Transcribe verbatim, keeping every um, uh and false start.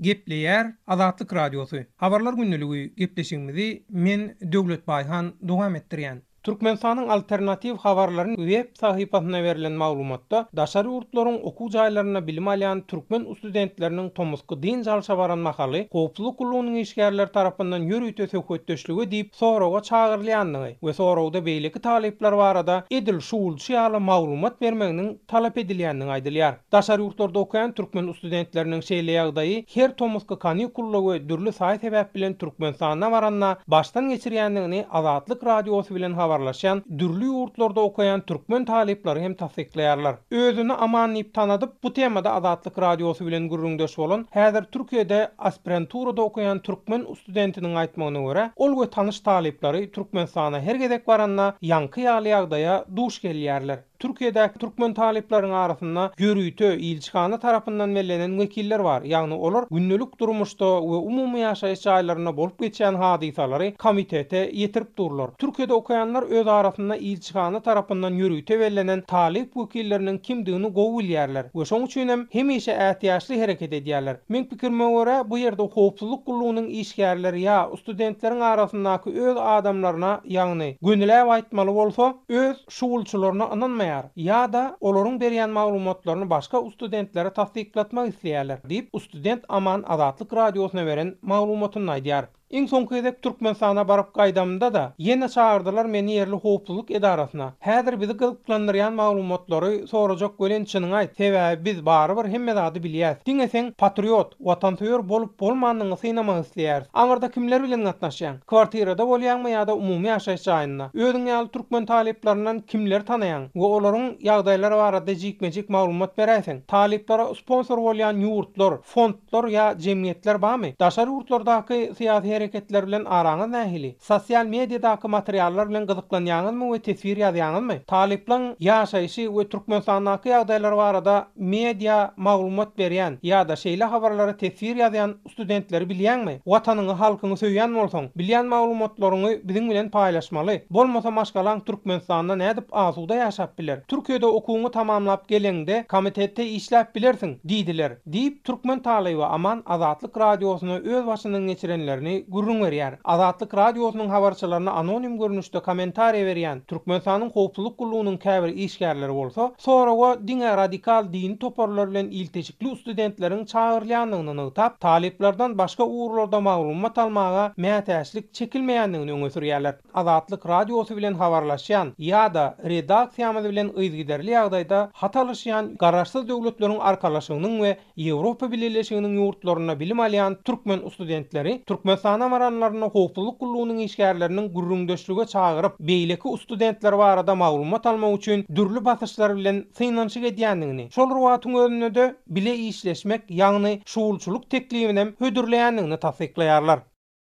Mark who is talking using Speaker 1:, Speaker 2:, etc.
Speaker 1: Gepleýär Azatlyk Radiosy. Habarlar gündeligi gepleşigimizi men Döwlet Baýhan dowam etdirýän. Türkmenistanyň alternatiw habarlaryň web sahypasyna berlen maglumatda daşary ýurtlaryň okuw jaýlarynda bilim alýan türkmen studentleriniň tomusky dynç alşa baran mahaly howpsuzlyk gullugynyň işgärleri tarapyndan ýörite söhbetdeşlige diýip soraga çagyrylýandygy we soragda beýleki talyplar barada edil şuwulçy ýaly maglumat bermeginiň talap edilýändigi aýdylýar. Daşary ýurtlarda okaýan türkmen studentleriniň şeýle ýagdaýy her tomusky kanikulda we dürli saý sebäp bilen Türkmenistana baranda başdan geçirýändigini Azatlyk Radiosy bilen habarlaşan dürli ýurtlarda okaýan türkmen talyplary hem tassyklaýarlar. Özüni aman diýip tanadyp, bu temada Azatlyk Radiosy bilen gürrüňdeş bolan häzir Türkiýede aspiranturada okaýan türkmen studentiniň aýtmagyna görä, ol we tanyş talyplary Türkmenistana her gezek baranda ýaňky ýaly ýagdaýa duş gelýärler. Türkiýedäki türkmen talyplaryň arasynda ýörite ilçihana tarapyndan bellenen wekiller bar. Ýagny olar gündelik durmuşda we umumy ýaşaýyş jaýlarynda bolup geçýän hadysalary komitete ýetirip durlar. Türkiýede okaýanlar öz arasynda ilçihana tarapyndan ýörite bellenen talyp wekilleriniň kimdigini gowy bilýärler we şoň üçin hem hemişe ätiýaçly hereket edýärler. Men pikirime görä, bu ýerde howpsuzlyk gullugynyň işgärleri ýa studentleriň arasyndaky öz adamlaryna, ýagny gönüläp aýtmaly bolsa, öz şuwulçylaryna ynanmaýar ýa-da olaryň berýän maglumatlaryny başga studentlere tassyklatmak isleýärler diýip student Aman Azatlyk Radiosyna beren maglumatyny aýdýar. Iň soňky gezek Türkmenistana baryp gaýdamda da ýene çagyrdylar meni ýerli howpsuzlyk edarasyna. Häzir bizi gyzyklandyrýan maglumatlary sorajak welin çynyňy aýt. Sebäbi biz barybir hemme zady bilýäs. Diňe sen patriot, watansöýer bolup bolmandygyňy synamak isleýäris. Aňyrda kimler bilen gatnaşýaň? Kwartirada bolýaňmy ýa-da umumy ýaşaýyş jaýynda? Özüň ýaly türkmen talyplaryndan kimleri tanaýaň we olaryň ýagdaýlary barada jikme-jik maglumat beräýseň? Talyplara sponsor bolýan ýurtlar, fondlar ýa jemgyýetler barmy? Daşary ýurtlardaky syýasy hareketler bilen araňyz nähili? Sosial mediadaky materiallar bilen gyzyklanýaňyzmy we teswir ýazýaňyzmy? Talyplaryň ýaşaýşy we Türkmenistandaky ýagdaýlar barada media maglumat berýän ýa-da şeýle habarlara teswir ýazýan studentleri bilýäňmi? Watanyňy, halkyňy söýýän bolsaň, bilýän maglumatlaryňy biziň bilen paýlaşmaly. Bolmasa maşgalaň Türkmenistanda nädip asuda ýaşap biler? Türkiýede okuwyňy tamamlap geleňde komitetde işläp bilersiň diýdiler. Diýip türkmen talyby Aman Azatlyk Radiosyna öz başyndan geçirenlerini gürrüň berýär. Azatlyk Radiosynyň habarçylaryna anonim görnüşde kommentariýa berýän Türkmenistanyň howpsuzlyk gullugynyň käbir işgärleri bolsa, soraga diňe radikal dini toparlar bilen ilteşikli studentleriň çagyrylýandygyny nygtap, talyplardan başga ugurlarda maglumat almaga mätäçlik çekilmeýändigini öňe sürýärler. Azatlyk Radiosy bilen habarlaşýan ýa-da redaksiýamyz bilen yzygiderli ýagdaýda hat alyşýan garaşsyz döwletleriň arkalaşygynyň we Ýewropa Bileleşiginiň ýurtlarynda bilim alýan türkmen studentleri Türkmenistana baranlaryna howpsuzlyk gullugynyň işgärleriniň gürrüňdeşlige çagyryp, beýleki studentler barada maglumat almak üçin dürli basyşlar bilen synanyşyk edýändigini, şol wagtyň özünde-de bile işleşmek, ýagny şuwulçylyk teklibini hödürleýändigini tassyklaýarlar.